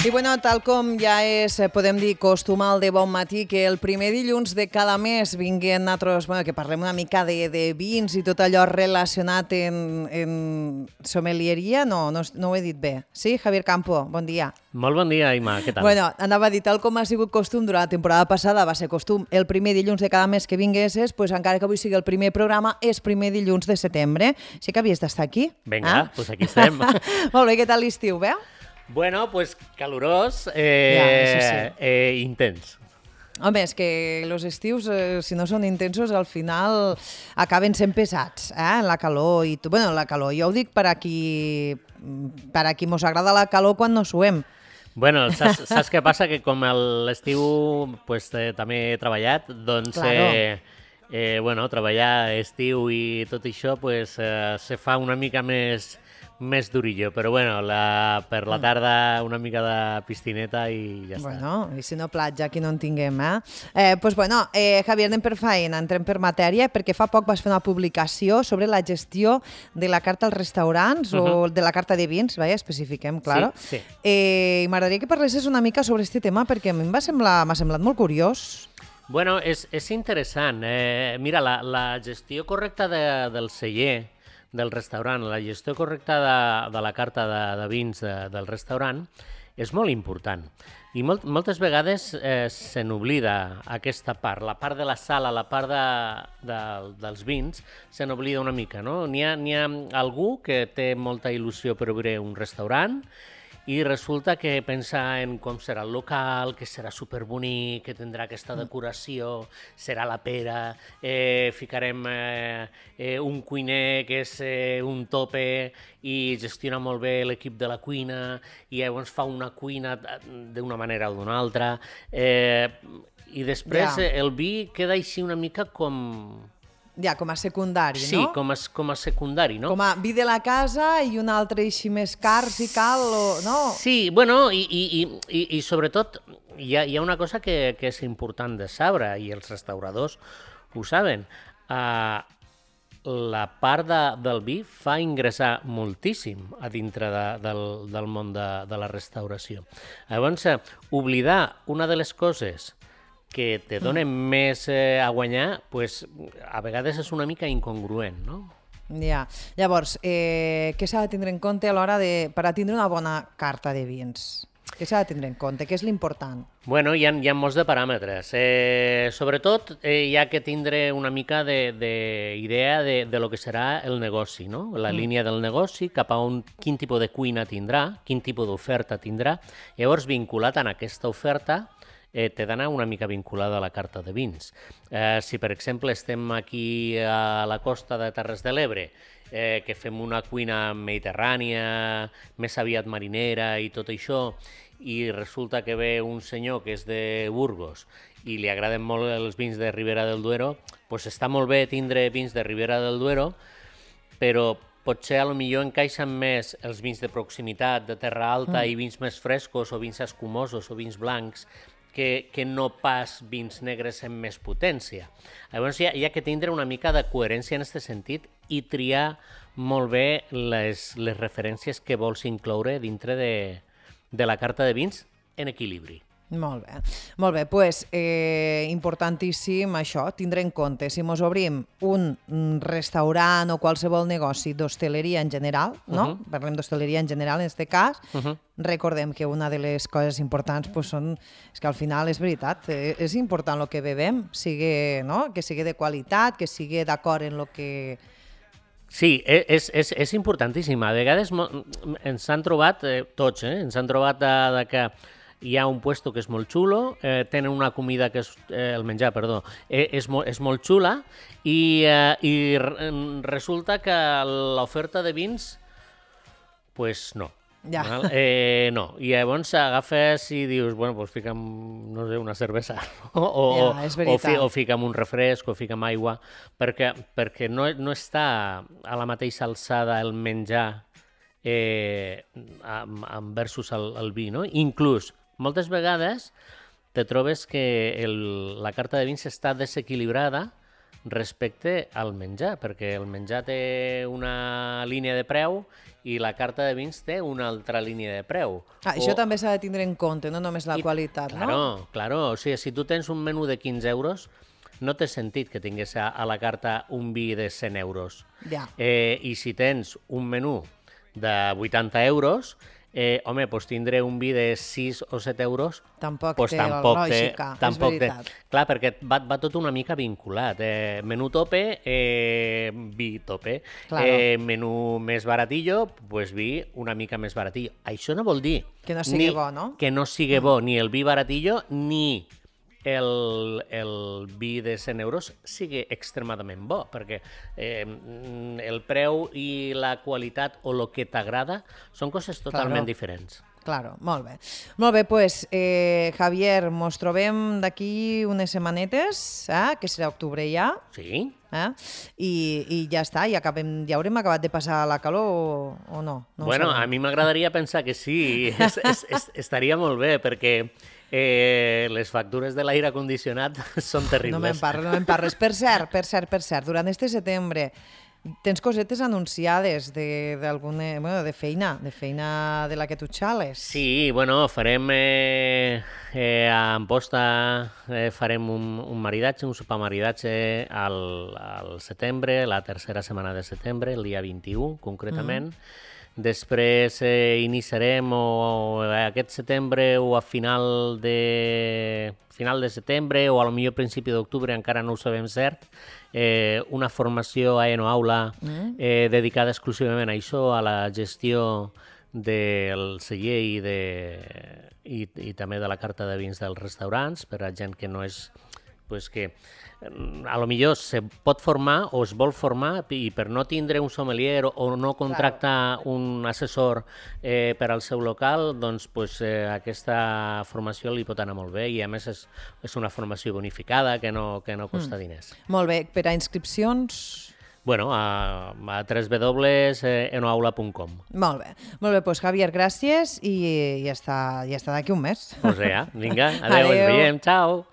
I bueno, tal com ja és, podem dir, costumal de bon matí, que el primer dilluns de cada mes vinguin nosaltres, bueno, que parlem una mica de vins i tot allò relacionat en sommelieria. No ho he dit bé. Sí, Javier Campo, bon dia. Molt bon dia, Ima, què tal? Bueno, anava a dir, tal com ha sigut costum durant la temporada passada, va ser costum el primer dilluns de cada mes que vinguessis, pues encara que avui sigui el primer programa, és primer dilluns de setembre. Sí que havies d'estar aquí? Vinga, doncs aquí estem. Molt bé, què tal l'estiu, bé? Bueno, pues calorós, intens. Home, és que els estius, si no són intensos, al final acaben sent pesats, la calor i tot. Bueno, la calor, jo ho dic per a qui mos agrada la calor quan no suem. Bueno, saps què passa? Que com l'estiu pues, també he treballat, doncs bueno, treballar estiu i tot això pues, se fa una mica més durillo, però bueno, per la tarda una mica de piscineta i ja està. Bueno, i si no platja, aquí no en tinguem, Pues bueno, Javier, anem per feina, entrem per matèria, perquè fa poc vas fer una publicació sobre la gestió de la carta als restaurants o de la carta de vins, especifiquem, claro. Sí. I m'agradaria que parlessis una mica sobre aquest tema, perquè a mi m'ha semblat molt curiós. Bueno, és interessant. Mira, la gestió correcta del celler, del restaurant, la gestió correcta de la carta de vins del restaurant és molt important. I moltes vegades se n'oblida aquesta part, la part de la sala, la part dels vins, se n'oblida una mica, no? N'hi ha algú que té molta il·lusió per obrir un restaurant i resulta que pensa en com serà el local, que serà superbonic, que tindrà aquesta decoració, serà la pera, ficarem un cuiner que és un tope i gestiona molt bé l'equip de la cuina i llavors fa una cuina d'una manera o d'una altra. I després el vi queda així una mica com... Ja, com a secundari, sí, no? Sí, com a secundari, no? Com a vi de la casa i un altre així més car, si cal, no? Sí, bueno, i sobretot hi ha una cosa que és important de saber, i els restauradors ho saben. La part del vi fa ingressar moltíssim a dintre del món de la restauració. Llavors, oblidar una de les coses que te donen més a guanyar, pues, a vegades és una mica incongruent, no? Ja. Llavors, què s'ha de tindre en compte a l'hora per a tindre una bona carta de vins? Què s'ha de tindre en compte? Què és l'important? Bueno, hi ha molts de paràmetres. Sobretot, hi ha que tindre una mica d'idea de lo que serà el negoci, no? La línia del negoci, cap a quin tipus de cuina tindrà, quin tipus d'oferta tindrà. Llavors, vinculat a aquesta oferta, t'he d'anar una mica vinculada a la carta de vins. Si, per exemple, estem aquí a la costa de Terres de l'Ebre, que fem una cuina mediterrània, més aviat marinera i tot això, i resulta que ve un senyor que és de Burgos i li agraden molt els vins de Ribera del Duero, doncs està molt bé tindre vins de Ribera del Duero, però potser potser encaixen més els vins de proximitat, de terra alta, i vins més frescos, o vins escumosos, o vins blancs, que no pas vins negres amb més potència. Llavors hi ha que tindre una mica de coherència en aquest sentit i triar molt bé les referències que vols incloure dintre de la carta de vins en equilibri. Molt bé. Molt bé, doncs importantíssim això, tindre en compte. Si mos obrim un restaurant o qualsevol negoci d'hostaleria en general, no? Parlem d'hostaleria en general en aquest cas, recordem que una de les coses importants és que al final és veritat, és important el que bevem, que sigui de qualitat, que sigui d'acord en el que... Sí, és importantíssim. A vegades ens han trobat, tots, ens han trobat que hi ha un puesto que és molt xulo, tenen una comida que és, el menjar, perdó, és molt xula i resulta que l'oferta de vins, pues no. Ja. No, i llavors agafes i dius, bueno, doncs fica'm, no sé, una cervesa o fica'm un refresc o fica'm aigua, perquè no està a la mateixa alçada el menjar versus el vi, no? Inclús, moltes vegades te trobes que la carta de vins està desequilibrada respecte al menjar, perquè el menjar té una línia de preu i la carta de vins té una altra línia de preu. Això també s'ha de tindre en compte, no només la qualitat, no? Claro. O sigui, si tu tens un menú de 15 euros, no té sentit que tingués a la carta un vi de 100 euros. Ja. I si tens un menú de 80 euros, home, doncs tindre un vi de 6 o 7 euros tampoc té lògica, és veritat. Clar, perquè va tot una mica vinculat. Menú tope, vi tope. Claro. Menú més baratillo, doncs vi una mica més baratillo. Això no vol dir... Que no sigui bo, no? Que no sigui bo ni el vi baratillo ni el vi de 100 euros sigui extremadament bo, perquè el preu i la qualitat o el que t'agrada són coses totalment diferents. Claro, molt bé. Molt bé, doncs, Javier, mos trobem d'aquí unes setmanetes, que serà octubre ja. Sí. I ja està, ja haurem acabat de passar la calor o no? Bueno, a mi m'agradaria pensar que sí, estaria molt bé, perquè les factures de l'aire condicionat són terribles. No me'n parles. Per cert, durant este setembre tens cosetes anunciades de feina de la que tu xales. Sí, bueno, farem a Amposta farem un maridatge, un sopar maridatge al setembre, la tercera setmana de setembre, el dia 21 concretament. Després iniciarem aquest setembre o a final de setembre o a lo millor principi d'octubre, encara no ho sabem cert, una formació a Enoaula dedicada exclusivament a això, a la gestió del celler i també de la carta de vins dels restaurants, per a gent que no és... que a lo millor se pot formar o es vol formar i per no tindre un sommelier o no contractar un assessor per al seu local, doncs aquesta formació li pot anar molt bé i a més és una formació bonificada que no costa diners. Molt bé, per a inscripcions... Bueno, a www.enoaula.com. Molt bé, doncs Javier, gràcies i ja està d'aquí un mes. Vinga, adeu, ens veiem, ciao.